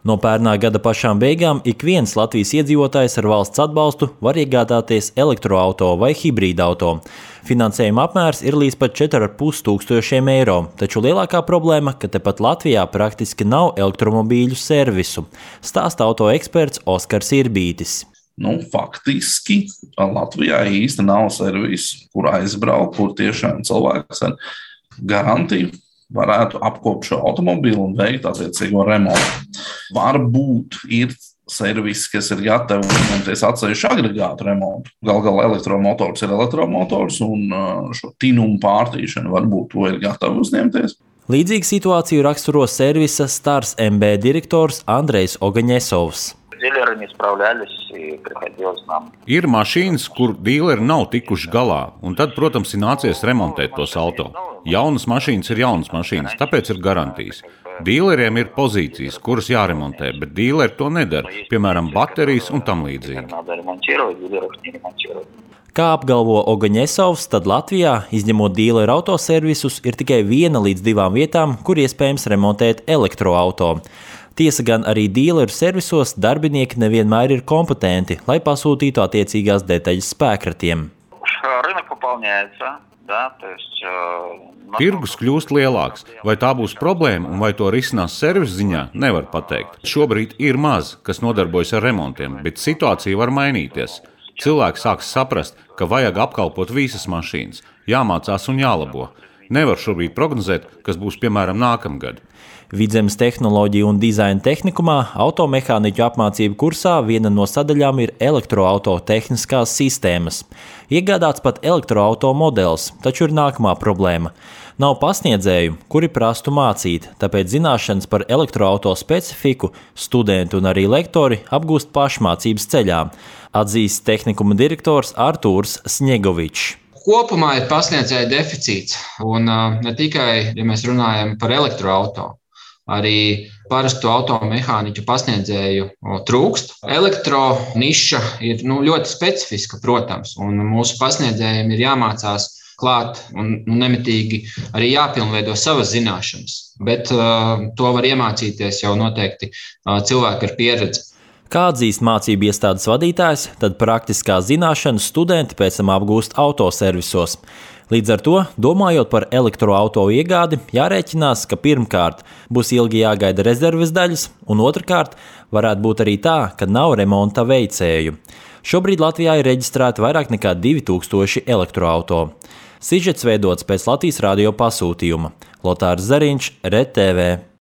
No pērnā gada pašām beigām ik viens Latvijas iedzīvotājs ar valsts atbalstu var iegādāties elektroauto vai hibrīdauto. Finansējuma apmērs ir līdz pat 4,5 tūkstošiem eiro, taču lielākā problēma, ka tepat Latvijā praktiski nav elektromobīļu servisu, stāsta auto eksperts Oskars Irbītis. Faktiski Latvijā īsti nav servisa, kur aizbraukt, kur tiešām cilvēks ar garantiju varētu apkopt šo automobīlu un veikt attiecīgo remontu. Varbūt ir servis, kas ir gatavi uzņemties atsevišķu agregātu remontu. Gal galā elektromotors ir elektromotors un šo tinumu pārtīšanu varbūt to ir gatavi uzņemties. Līdzīgu situāciju raksturo servisa Stars MB direktors Andrejs Ogaņesovs. Ir mašīnas, kur dīleri nav tikuši galā, un tad, protams, ir nācies remontēt tos auto. Jaunas mašīnas ir jaunas mašīnas, tāpēc ir garantijas. Dīleriem ir pozīcijas, kuras jāremontē, bet dīleri to nedara, piemēram, baterijas un tam līdzīgi. Kā apgalvo Ogaņesovs, tad Latvijā, izņemot dīleru autoservisus, ir tikai 1 līdz 2 vietām, kur iespējams remontēt elektroauto. Tiesa gan arī dīleru servisos darbinieki nevienmēr ir kompetenti, lai pasūtītu attiecīgās detaļas spēkratiem. Tirgus kļūst lielāks. Vai tā būs problēma un vai to risinās servisa ziņā, nevar pateikt. Šobrīd ir maz, kas nodarbojas ar remontiem, bet situācija var mainīties. Cilvēki sāks saprast, ka vajag apkalpot visas mašīnas, jāmācās un jālabo. Nevar šobrīd prognozēt, kas būs piemēram nākamgad. Vidzemes tehnoloģiju un dizaina tehnikumā automehāniķu apmācību kursā viena no sadaļām ir elektroauto tehniskās sistēmas. Iegādāts pat elektroauto modelis, taču ir nākamā problēma. Nav pasniedzēju, kuri prastu mācīt, tāpēc zināšanas par elektroauto specifiku studenti un arī lektori apgūst pašmācības ceļā, atzīst tehnikuma direktors Artūrs Sņegovičs. Kopumā ir pasniedzēju deficīts, un ne tikai, ja mēs runājam par elektroauto, arī parastu automehāniķu pasniedzēju trūkst. Elektroniša ir ļoti specifiska, protams, un mūsu pasniedzējiem ir jāmācās klāt un nemitīgi arī jāpilnveido savas zināšanas, bet to var iemācīties jau noteikti cilvēki ar pieredzi. Kā atzīst mācību iestādes vadītājs, tad praktiskās zināšanas studenti pēc tam apgūst autoservisos. Līdz ar to, domājot par elektroauto iegādi, jārēķinās, ka pirmkārt būs ilgi jāgaida rezerves daļas, un otrkārt varētu būt arī tā, ka nav remonta veicēju. Šobrīd Latvijā ir reģistrēti vairāk nekā 2000 elektroauto. Sižets veidots pēc Latvijas radio pasūtījuma. Lotārs Zariņš, RTV.